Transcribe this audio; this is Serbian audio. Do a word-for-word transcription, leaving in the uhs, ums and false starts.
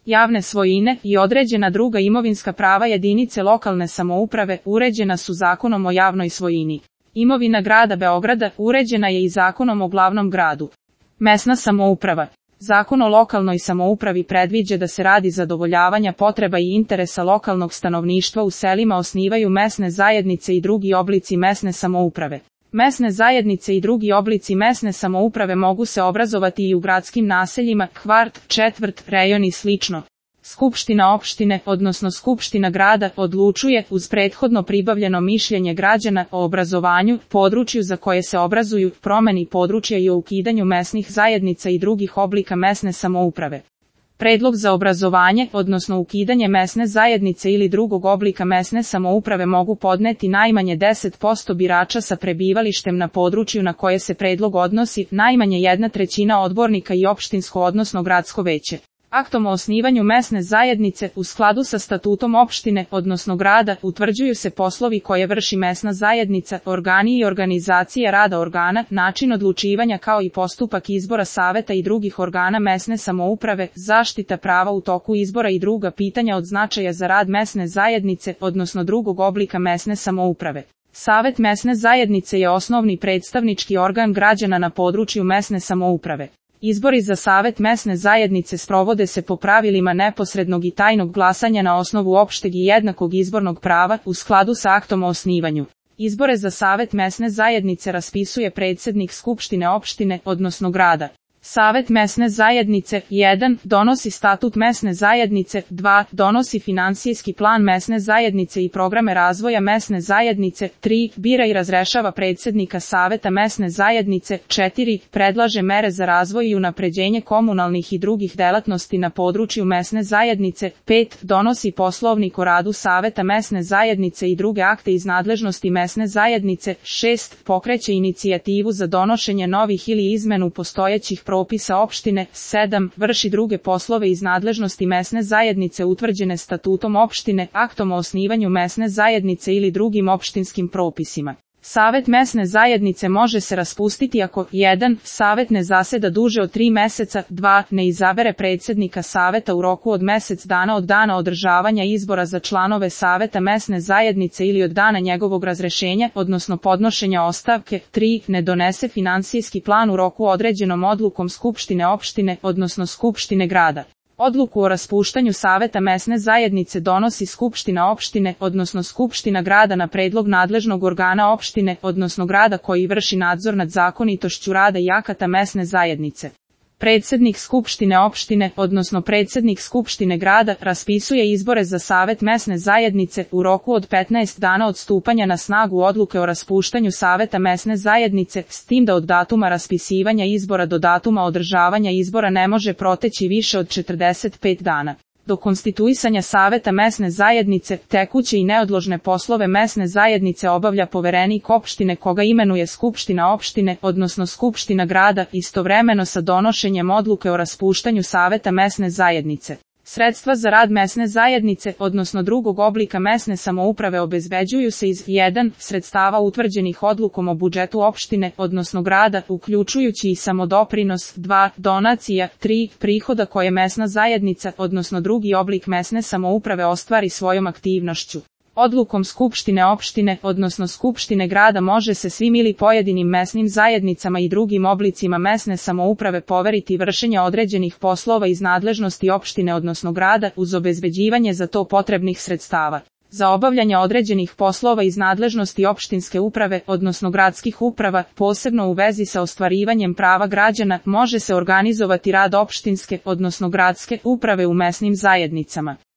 javne svojine i određena druga imovinska prava jedinice lokalne samouprave uređena su Zakonom o javnoj svojini. Imovina grada Beograda uređena je i Zakonom o glavnom gradu. Mesna samouprava. Zakon o lokalnoj samoupravi predviđa da se radi zadovoljavanja potreba i interesa lokalnog stanovništva u selima osnivaju mesne zajednice i drugi oblici mesne samouprave. Mesne zajednice i drugi oblici mesne samouprave mogu se obrazovati i u gradskim naseljima, kvart, četvrt, rejon i slično. Skupština opštine, odnosno Skupština grada, odlučuje, uz prethodno pribavljeno mišljenje građana, o obrazovanju, području za koje se obrazuju, promeni područja i o ukidanju mesnih zajednica i drugih oblika mesne samouprave. Predlog za obrazovanje, odnosno ukidanje mesne zajednice ili drugog oblika mesne samouprave mogu podneti najmanje deset posto birača sa prebivalištem na području na koje se predlog odnosi, najmanje jedna trećina odbornika i opštinsko odnosno gradsko veće. Aktom o osnivanju mesne zajednice, u skladu sa statutom opštine, odnosno grada, utvrđuju se poslovi koje vrši mesna zajednica, organi i organizacije rada organa, način odlučivanja kao i postupak izbora saveta i drugih organa mesne samouprave, zaštita prava u toku izbora i druga pitanja od značaja za rad mesne zajednice, odnosno drugog oblika mesne samouprave. Savet mesne zajednice je osnovni predstavnički organ građana na području mesne samouprave. Izbori za Savet mesne zajednice sprovode se po pravilima neposrednog i tajnog glasanja na osnovu opšteg i jednakog izbornog prava, u skladu sa aktom o osnivanju. Izbore za Savet mesne zajednice raspisuje predsednik Skupštine opštine, odnosno grada. Savet mesne zajednice, jedan. Donosi statut mesne zajednice, dva. Donosi finansijski plan mesne zajednice i programe razvoja mesne zajednice, tri. Bira i razrešava predsednika Saveta mesne zajednice, četiri. Predlaže mere za razvoj i unapređenje komunalnih i drugih delatnosti na području mesne zajednice, pet. Donosi poslovnik o radu Saveta mesne zajednice i druge akte iz nadležnosti mesne zajednice, šest. Pokreće inicijativu za donošenje novih ili izmenu postojećih propisa opštine, sedam. Vrši druge poslove iz nadležnosti mesne zajednice utvrđene statutom opštine, aktom o osnivanju mesne zajednice ili drugim opštinskim propisima. Savet mesne zajednice može se raspustiti ako jedan. Savet ne zaseda duže od tri meseca, dva. Ne izabere predsednika Saveta u roku od mesec dana od dana održavanja izbora za članove Saveta mesne zajednice ili od dana njegovog razrešenja, odnosno podnošenja ostavke, tri. Ne donese finansijski plan u roku određenom odlukom Skupštine opštine, odnosno Skupštine grada. Odluku o raspuštanju Saveta mesne zajednice donosi Skupština opštine, odnosno Skupština grada na predlog nadležnog organa opštine, odnosno grada koji vrši nadzor nad zakonitošću rada i akata mesne zajednice. Predsednik Skupštine opštine, odnosno predsednik Skupštine grada, raspisuje izbore za Savet mesne zajednice u roku od petnaest dana od stupanja na snagu odluke o raspuštanju Saveta mesne zajednice, s tim da od datuma raspisivanja izbora do datuma održavanja izbora ne može proteći više od četrdeset pet dana. Do konstituisanja Saveta mesne zajednice, tekuće i neodložne poslove mesne zajednice obavlja poverenik opštine koga imenuje Skupština opštine, odnosno Skupština grada, istovremeno sa donošenjem odluke o raspuštanju Saveta mesne zajednice. Sredstva za rad mesne zajednice, odnosno drugog oblika mesne samouprave obezbeđuju se iz jedan. Sredstava utvrđenih odlukom o budžetu opštine, odnosno grada, uključujući i samodoprinos, dva. Donacija, tri. Prihoda koje mesna zajednica, odnosno drugi oblik mesne samouprave ostvari svojom aktivnošću. Odlukom Skupštine opštine, odnosno Skupštine grada može se svim ili pojedinim mesnim zajednicama i drugim oblicima mesne samouprave poveriti vršenje određenih poslova iz nadležnosti opštine odnosno grada uz obezbeđivanje za to potrebnih sredstava. Za obavljanje određenih poslova iz nadležnosti opštinske uprave, odnosno gradskih uprava, posebno u vezi sa ostvarivanjem prava građana, može se organizovati rad opštinske, odnosno gradske uprave u mesnim zajednicama.